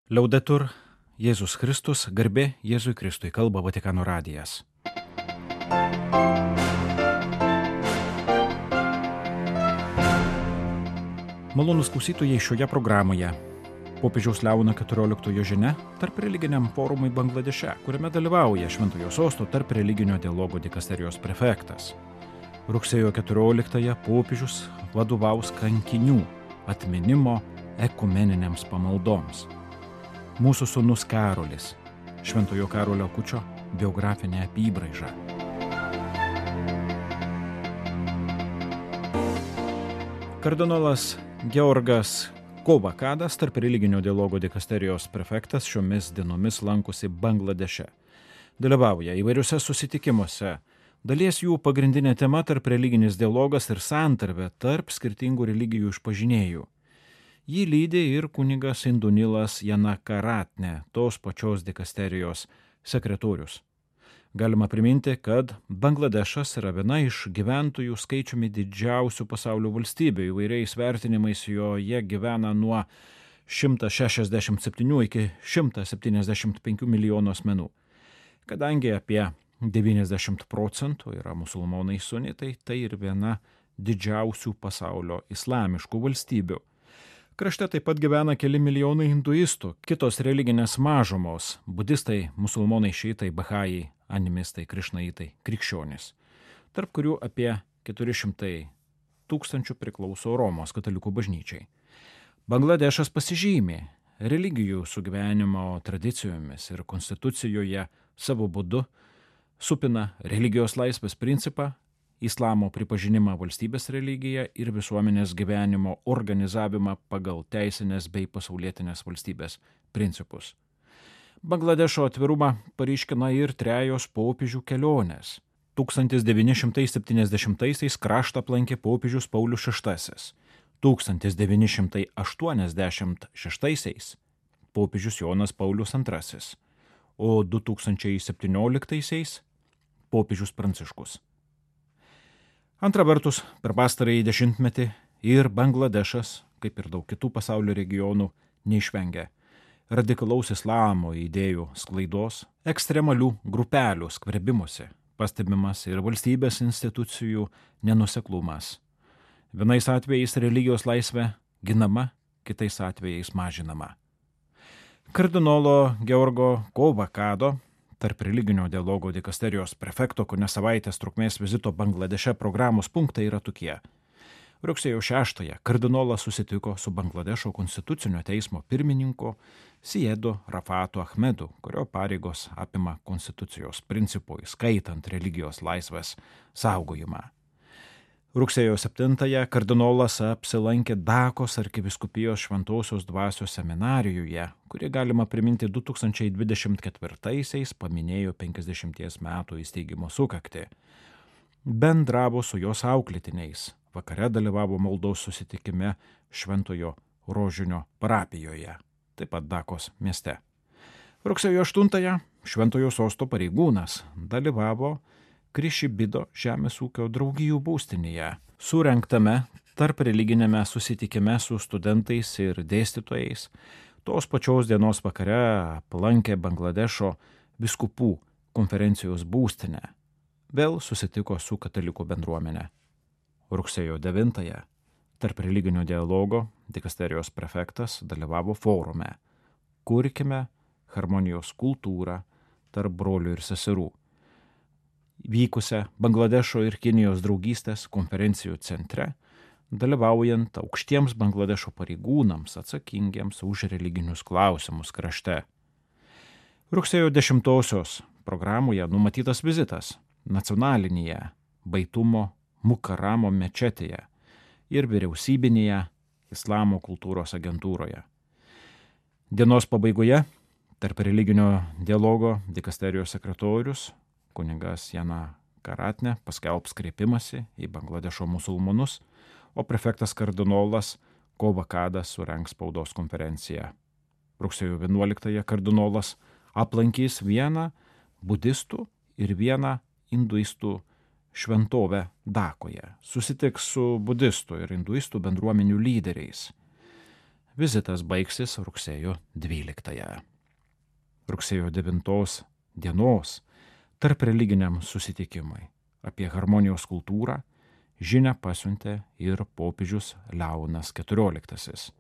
Liaudetur Jėzus Kristus, garbė Jėzui Kristui, kalba Vatikano radijas. Malonūs klausytojai, šioje programoje popiežiaus Leono XIV žinia tarp religiniam forumui Bangladeše, kuriame dalyvauja Šventojo Sosto tarp religinio dialogo dikasterijos prefektas. Rugsėjo 14 popiežius vadovaus kankinių atminimo ekumeniniams pamaldoms. Mūsų sūnus Karolis, Šventojo Karolio Akučio biografinė apybraiža. Kardinolas Georgas Kovakadas, tarp religinio dialogo dikasterijos prefektas, šiomis dienomis lankosi Bangladeše. Dalyvauja įvairiuose susitikimuose. Dalies jų pagrindinė tema tarp religinis dialogas ir santarvė tarp skirtingų religijų išpažinėjų. Jį lydi ir kunigas Indunilas Janakaratne, tos pačios dikasterijos sekretorius. Galima priminti, kad Bangladešas yra viena iš gyventojų skaičiumi didžiausių pasaulio valstybių. Įvairiais vertinimais joje gyvena nuo 167 iki 175 milijonų asmenų. Kadangi apie 90% yra musulmonai sunitai, tai ir viena didžiausių pasaulio islamiškų valstybių. Krašte taip pat gyvena keli milijonai hinduistų, kitos religinės mažumos – budistai, musulmonai, šiitai, bahajai, animistai, krišnaitai, krikščionys, tarp kurių apie 400 tūkstančių priklauso Romos katalikų bažnyčiai. Bangladešas pasižymi religijų sugyvenimo tradicijomis ir konstitucijoje savo būdu supina religijos laisvės principą, islamo pripažinimą valstybės religiją ir visuomenės gyvenimo organizavimą pagal teisinės bei pasaulietinės valstybės principus. Bangladešo atvirumą paryškina ir trejos popiežių kelionės. 1970-aisiais kraštą aplankė popiežius Paulius VI, 1986-aisiais popiežius Jonas Paulius II, o 2017-aisiais popiežius Pranciškus. Antra vertus, per pastarąjį dešimtmetį ir Bangladešas, kaip ir daug kitų pasaulio regionų, neišvengia radikalaus islamo idėjų sklaidos, ekstremalių grupelių skverbimuose, pastebimas ir valstybės institucijų nenuoseklumas. Vienais atvejais religijos laisvė ginama, kitais atvejais mažinama. Kardinolo Georgo Kovakado, tarp religinio dialogo dikasterijos prefekto kone savaitės trukmės vizito Bangladeše programos punktai yra tokie. Rugsėjo 6 kardinolas susitiko su Bangladešo konstitucinio teismo pirmininku Siedo Rafato Ahmedu, kurio pareigos apima konstitucijos principų, įskaitant religijos laisvės saugojimą. Rugsėjo 7 kardinolas apsilankė Dakos arkivyskupijos Šventosios dvasios seminarijoje, kuri galima priminti 2024-aisiais paminėjo 50 metų įsteigimo sukaktį. Bendravo su jos auklėtiniais, vakare dalyvavo maldos susitikime Šventojo Rožinio parapijoje, taip pat Dakos mieste. Rugsėjo 8 Šventojo Sosto pareigūnas dalyvavo Krišibido žemės ūkio draugijų būstinėje, surengtame tarp religinėme susitikime su studentais ir dėstytojais. Tos pačios dienos vakare aplankė Bangladešo vyskupų konferencijos būstinę. Vėl susitiko su katalikų bendruomenė. Rugsėjo 9 tarp religinio dialogo dikasterijos prefektas dalyvavo forume Kurkime harmonijos kultūrą tarp brolių ir seserų, vykusią Bangladešo ir Kinijos draugystės konferencijų centre, dalyvaujant aukštiems Bangladešo pareigūnams atsakingiems už religinius klausimus krašte. Rugsėjo 10 programoje numatytas vizitas nacionalinėje Baitumo Mukaramo mečetėje ir vyriausybinėje Islamo kultūros agentūroje. Dienos pabaigoje tarp religinio dialogo dikasterijos sekretorius kunigas Janakaratne paskelbs kreipimąsi į Bangladešo musulmonus, o prefektas kardinolas Kovakadas surengs spaudos konferenciją. Rugsėjo 11 kardinolas aplankys vieną budistų ir vieną hinduistų šventovę Dakoje. Susitiks su budistų ir hinduistų bendruomenių lyderiais. Vizitas baigsis rugsėjo 12. Rugsėjo 9 dienos tarp religiniam susitikimui apie harmonijos kultūrą žinią pasiuntė ir popiežius Leonas XIV,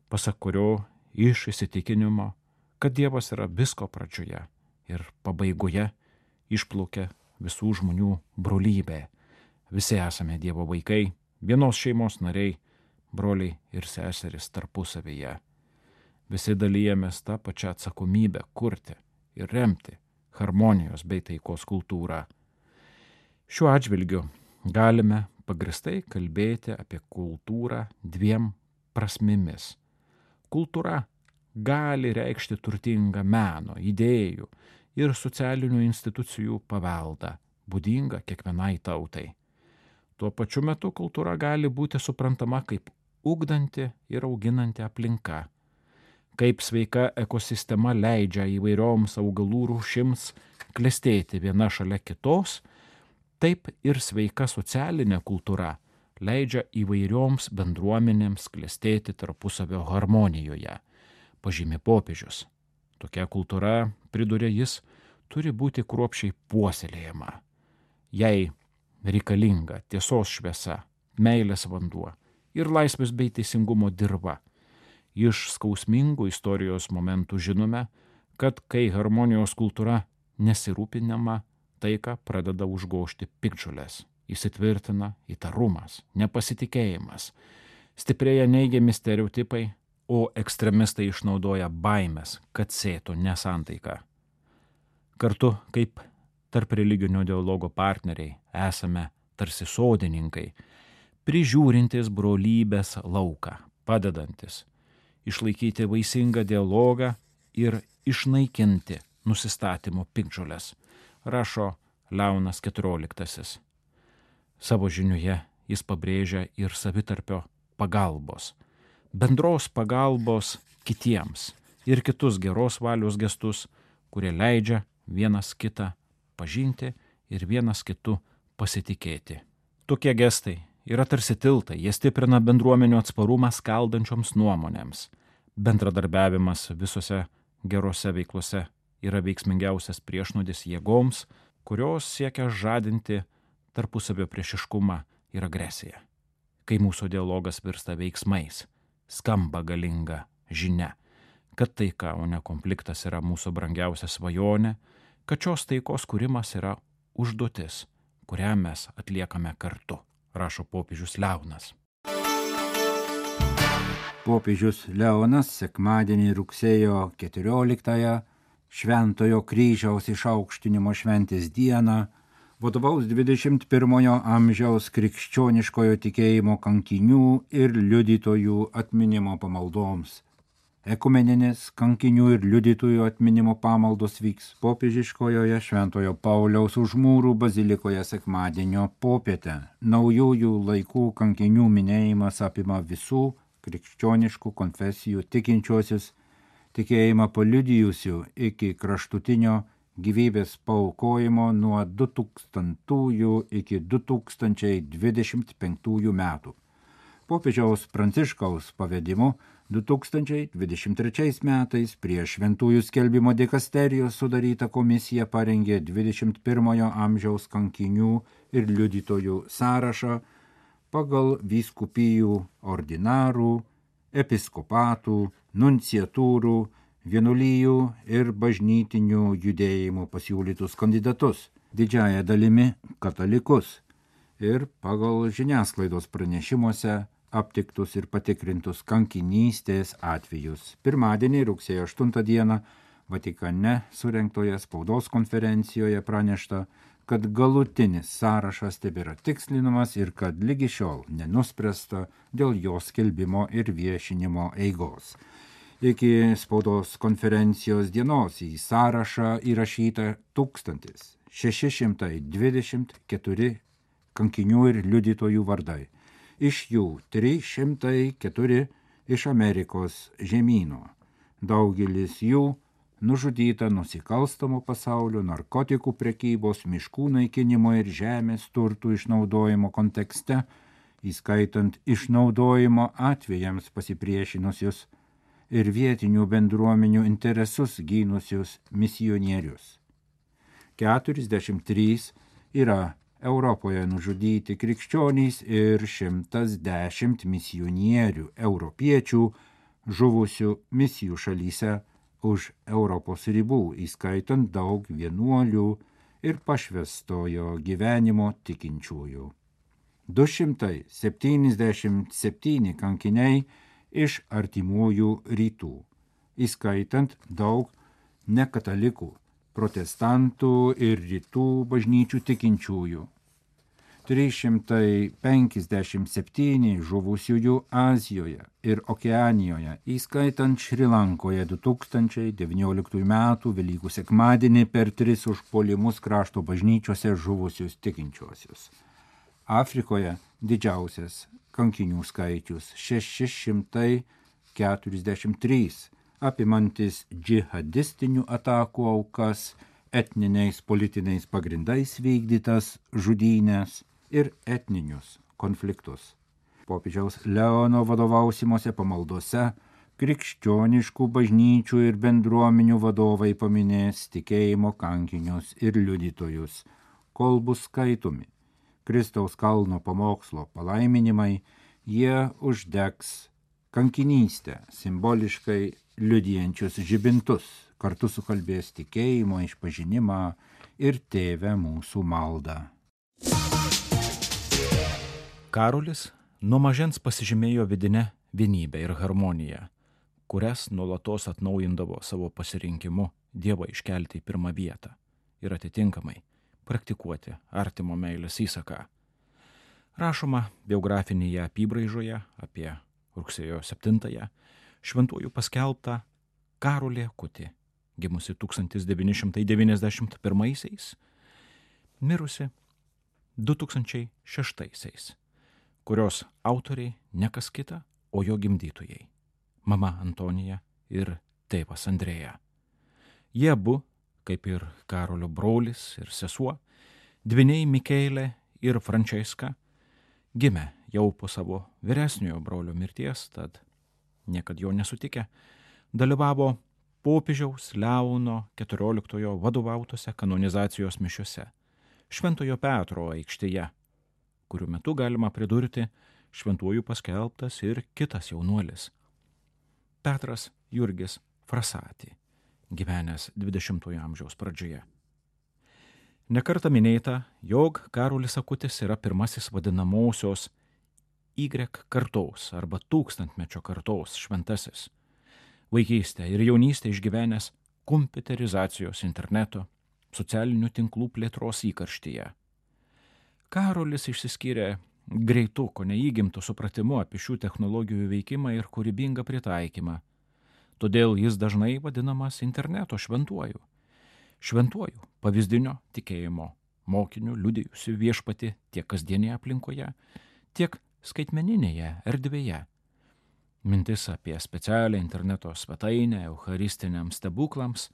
pasak kurio iš įsitikinimo, kad Dievas yra visko pradžioje ir pabaigoje, išplaukia visų žmonių brolybė. Visi esame Dievo vaikai, vienos šeimos nariai, broliai ir seserys tarpusavyje. Visi dalyjamės tą pačią atsakomybę kurti ir remti harmonijos bei taikos kultūrą. Šiuo atžvilgiu galime pagristai kalbėti apie kultūrą dviem prasmėmis. Kultūra gali reikšti turtingą meno, idėjų ir socialinių institucijų paveldą, būdingą kiekvienai tautai. Tuo pačiu metu kultūra gali būti suprantama kaip ugdanti ir auginanti aplinka, kaip sveika ekosistema leidžia įvairioms augalų rūšims klestėti viena šalia kitos, taip ir sveika socialinė kultūra leidžia įvairioms bendruomenėms klestėti tarpusavio harmonijoje, pažymi popiežius. Tokia kultūra, priduria jis, turi būti kruopščiai puoselėjama. Jei reikalinga tiesos šviesa, meilės vanduo ir laisvės bei teisingumo dirva. Iš skausmingų istorijos momentų žinome, kad kai harmonijos kultūra nesirūpinama, taiką pradeda užgožti piktžolės, įsitvirtina įtarumas, nepasitikėjimas, stiprėja neigiami stereotipai, o ekstremistai išnaudoja baimės, kad sėtų nesantaiką. Kartu kaip tarp religinio dialogo partneriai esame tarsi sodininkai, prižiūrintis brolybės lauką, padedantis išlaikyti vaisingą dialogą ir išnaikinti nusistatymo piktžoles, rašo Leonas XIV. Savo žiniuje jis pabrėžia ir savitarpio pagalbos, bendros pagalbos kitiems ir kitus geros valios gestus, kurie leidžia vienas kitą pažinti ir vienas kitu pasitikėti. Tokie gestai yra tarsi tiltai, jie stiprina bendruomenių atsparumą skaldančioms nuomonėms. Bendradarbiavimas visose gerose veiklose yra veiksmingiausias priešnuodis jėgoms, kurios siekia žadinti tarpusavio priešiškumą ir agresiją. Kai mūsų dialogas virsta veiksmais, skamba galinga žinia, kad taika, o ne konfliktas yra mūsų brangiausia svajonė, kad šios taikos kūrimas yra užduotis, kurią mes atliekame kartu, rašo popiežius Leonas. Popiežius Leonas sekmadienį rugsėjo 14-ąją Šventojo kryžiaus išaukštinimo šventės dieną vadovaus 21 amžiaus krikščioniškojo tikėjimo kankinių ir liudytojų atminimo pamaldoms. Ekumeninės kankinių ir liudytojų atminimo pamaldos vyks popiežiškojoje Šventojo Pauliaus už mūrų bazilikoje sekmadienio popietę. Naujųjų laikų kankinių minėjimas apima visų krikščioniškų konfesijų tikinčiuosius, tikėjimą paliudijusių iki kraštutinio gyvybės paaukojimo nuo 2000 iki 2025 metų. Popiežiaus Pranciškaus pavedimu 2023 metais prie šventųjų skelbimo dikasterijos sudaryta komisija parengė 21 amžiaus kankinių ir liudytojų sąrašą pagal vyskupijų, ordinarų, episkopatų, nunciatūrų, vienuolijų ir bažnytinių judėjimų pasiūlytus kandidatus, didžiąja dalimi katalikus, ir pagal žiniasklaidos pranešimuose aptiktus ir patikrintus kankinystės atvejus. Pirmadienį, rugsėjo 8 dieną, Vatikane surengtoje spaudos konferencijoje pranešta, kad galutinis sąrašas tebėra tikslinamas ir kad lygi šiol nenuspręsta dėl jo skelbimo ir viešinimo eigos. Iki spaudos konferencijos dienos į sąrašą įrašyta 1624 kankinių ir liudytojų vardai. Iš jų 304 iš Amerikos žemyno. Daugelis jų nužudyta nusikalstamo pasaulio, narkotikų prekybos, miškų naikinimo ir žemės turtų išnaudojimo kontekste įskaitant išnaudojimo atvejams pasipriešinusius ir vietinių bendruomenių interesus gynusius misionierius. 43 yra Europoje nužudyti krikščionys ir 110 misionierių europiečių žuvusių misijų šalyse už Europos ribų, įskaitant daug vienuolių ir pašvęstojo gyvenimo tikinčiųjų. 277 kankiniai iš artimųjų rytų, įskaitant daug nekatalikų, protestantų ir rytų bažnyčių tikinčiųjų. 357 žuvusiųjų Azijoje ir Okeanijoje, įskaitant Šrilankoje 2019 m. Velykų sekmadienį per 3 užpuolimus krašto bažnyčiose žuvusius tikinčiuosius. Afrikoje didžiausias kankinių skaičius 643, apimantis džihadistinių atakų aukas, etniniais politiniais pagrindais vykdytas žudynės ir etninius konfliktus. Popiežiaus Leono vadovausimose pamaldose krikščioniškų bažnyčių ir bendruomenių vadovai paminės tikėjimo kankinius ir liudytojus, kol bus skaitomi Kristaus kalno pamokslo palaiminimai, jie uždegs kankinystę, simboliškai liudijančius žibintus, kartu sukalbės tikėjimo išpažinimą ir Tėve mūsų maldą. Karolis nuo mažens pasižymėjo vidinę vienybę ir harmoniją, kurias nuolatos atnaujindavo savo pasirinkimu Dievą iškelti į pirmą vietą ir atitinkamai praktikuoti artimo meilės įsaką. Rašoma biografinėje apybraižoje apie rugsėjo 7-ąją šventųjų paskelbtą Karolį Akutį, gimusi 1991, mirusi 2006, kurios autoriai ne kas kita, o jo gimdytojai – mama Antonija ir tėvas Andrėja. Jie abu, kaip ir Karolio brolis ir sesuo, dvyniai Mikaelė ir Frančeska, gimė jau po savo vyresniojo brolio mirties, tad niekad jo nesutikę, dalyvavo popiežiaus Leono XIV vadovautose kanonizacijos mišiose Šventojo Petro aikštėje, kurių metu galima pridurti šventųjų paskelbtas ir kitas jaunuolis – Petras Jurgis Frasati, gyvenęs 20-ojo amžiaus pradžioje. Nekartą minėta, jog Karolis Akutis yra pirmasis vadinamosios Y kartos arba tūkstantmečio kartos šventasis, vaikystę ir jaunystę išgyvenęs kompiuterizacijos, interneto, socialinių tinklų plėtros įkarštyje. Karolis išsiskyrė greitu, ko neįgimtu supratimu apie šių technologijų veikimą ir kūrybingą pritaikymą. Todėl jis dažnai vadinamas interneto šventuoju. Šventuoju pavyzdinio tikėjimo mokiniu liudijusiu viešpatį tiek kasdienėje aplinkoje, tiek skaitmeninėje erdvėje. Mintis apie specialią interneto svetainę eucharistiniams stebuklams,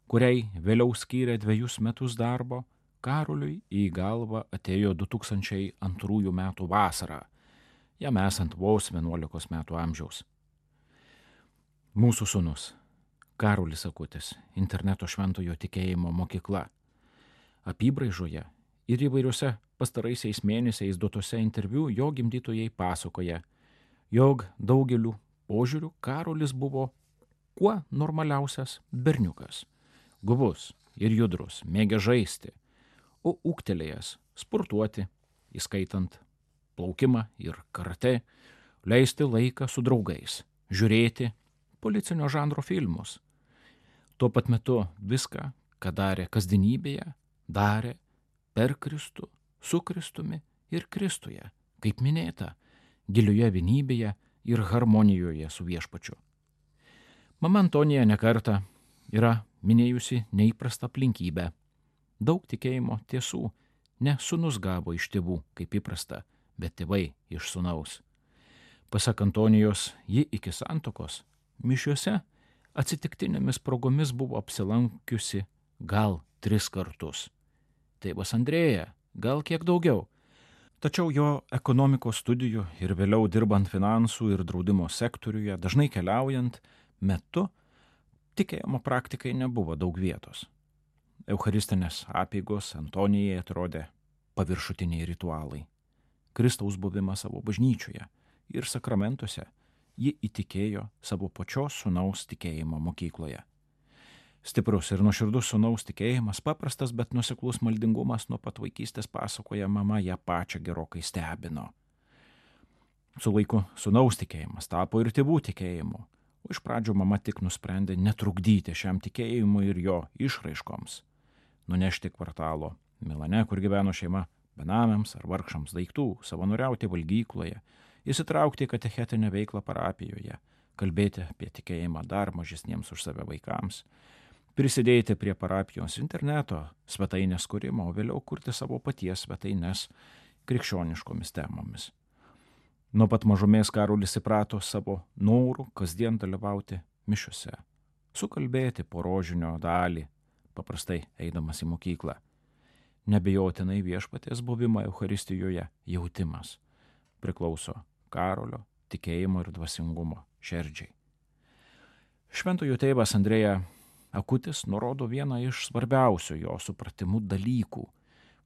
kuriai vėliau skyrė 2 metus darbo, Karoliui į galvą atėjo 2002 metų vasarą, jam esant vos 11 metų amžiaus. Mūsų sūnus Karolis Akutis, interneto šventojo tikėjimo mokykla. Apybraižoje ir įvairiuose pastaraisiais mėnesiais duotose interviu jo gimdytojai pasakoja, jog daugeliu požiūrių Karolis buvo kuo normaliausias berniukas, guvus ir judrus, mėgė žaisti, o ūgtelėjęs sportuoti, įskaitant plaukimą ir karate, leisti laiką su draugais, žiūrėti policinio žanro filmus. Tuo pat metu viską, ką darė kasdienybėje, darė per Kristų, su Kristumi ir Kristuje, kaip minėta, gilioje vienybėje ir harmonijoje su viešpačiu. Mama Antonija nekartą yra minėjusi neįprastą aplinkybę. Daug tikėjimo tiesų ne sūnus gavo iš tėvų, kaip įprasta, bet tėvai iš sūnaus. Pasak Antonijos, ji iki santuokos mišiuose atsitiktinėmis progomis buvo apsilankiusi gal 3 kartus. Tėvas Andrėja gal kiek daugiau. Tačiau jo ekonomikos studijų ir vėliau dirbant finansų ir draudimo sektoriuje, dažnai keliaujant metu, tikėjimo praktikai nebuvo daug vietos. Eucharistinės apeigos Antonijai atrodė paviršutiniai ritualai. Kristaus buvimą savo bažnyčioje ir sakramentuose ji įtikėjo savo pačios sūnaus tikėjimo mokykloje. Stiprus ir nuoširdus sūnaus tikėjimas, paprastas, bet nuoseklus maldingumas nuo pat vaikystės, pasakoja mama, ją pačią gerokai stebino. Su laiku sūnaus tikėjimas tapo ir tėvų tikėjimu, o iš pradžių mama tik nusprendė netrukdyti šiam tikėjimui ir jo išraiškoms, nunešti kvartalo Milane, kur gyveno šeima, benamiams ar vargšams daiktų, savanoriauti valgykloje, įsitraukti į katechetinę veiklą parapijoje, kalbėti apie tikėjimą dar mažesniems už save vaikams, prisidėti prie parapijos interneto svetainės kūrimo, o vėliau kurti savo paties svetainės krikščioniškomis temomis. Nuo pat mažumės Karolis įprato savo norų kasdien dalyvauti mišiose, sukalbėti po rožinio dalį, paprastai eidamas į mokyklą. Nebejotinai Viešpaties buvimo Eucharistijoje jautimas priklauso Karolio tikėjimo ir dvasingumo širdžiai. Šventojo tėvas Andrėja Akutis nurodo vieną iš svarbiausių jo supratimų dalykų,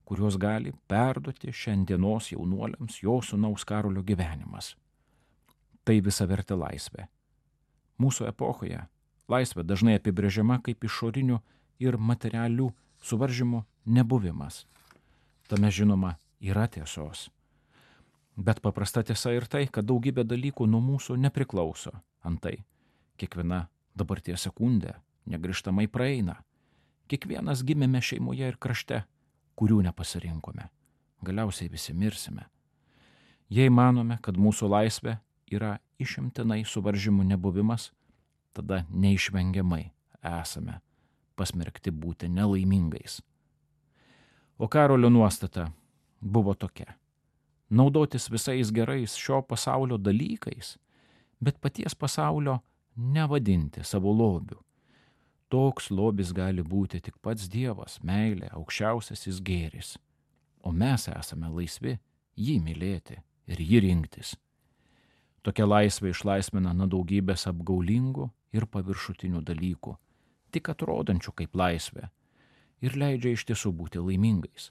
kuriuos gali perduoti šiandienos jaunuoliams jo sūnaus Karolio gyvenimas. Tai visavertė laisvė. Mūsų epochoje laisvė dažnai apibrėžiama kaip išorinių ir materialių suvaržymų nebuvimas. Tame žinoma yra tiesos. Bet paprasta tiesa ir tai, kad daugybė dalykų nuo mūsų nepriklauso. Antai, kiekviena dabarties sekundė negrįžtamai praeina. Kiekvienas gimėme šeimoje ir krašte, kurių nepasirinkome. Galiausiai visi mirsime. Jei manome, kad mūsų laisvė yra išimtinai suvaržymų nebuvimas, tada neišvengiamai esame pasmerkti būti nelaimingais. O Karolio nuostata buvo tokia: naudotis visais gerais šio pasaulio dalykais, bet paties pasaulio nevadinti savo lobiu. Toks lobis gali būti tik pats Dievas, meilė, aukščiausiasis gėris. O mes esame laisvi jį mylėti ir jį rinktis. Tokia laisvė išlaisvina nuo daugybės apgaulingų ir paviršutinių dalykų, tik atrodančių kaip laisvė, ir leidžia iš tiesų būti laimingais,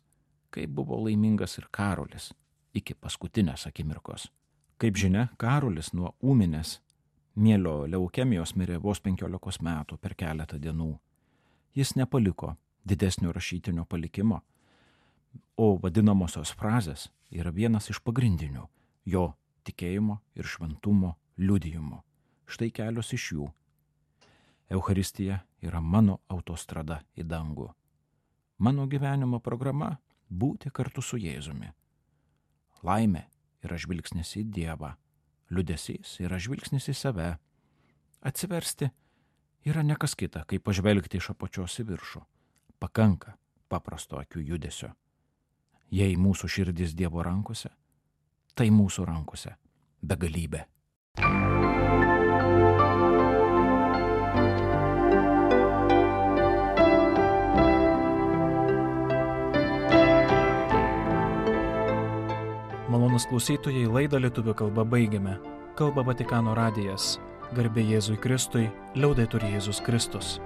kaip buvo laimingas ir Karolis iki paskutinės akimirkos. Kaip žinia, Karolis nuo ūminės mielio leukemijos mirė vos 15 metų per keletą dienų. Jis nepaliko didesnio rašytinio palikimo, o vadinamosios frazės yra vienas iš pagrindinių jo tikėjimo ir šventumo liudijimų. Štai kelios iš jų. Eucharistija yra mano autostrada į dangų. Mano gyvenimo programa – būti kartu su Jėzumi. Laimė yra žvilgsnis į Dievą. Liūdesys yra žvilgsnis į save. Atsiversti yra ne kas kita, kaip pažvelgti iš apačios į viršų. Pakanka paprasto akių judesio. Jei mūsų širdis Dievo rankose, tai mūsų rankose begalybė. Malonūs klausytojai, laidą lietuvių kalba baigiame. Kalba Vatikano radijas. Garbė Jėzui Kristui, liaudetur Jėzus Kristus.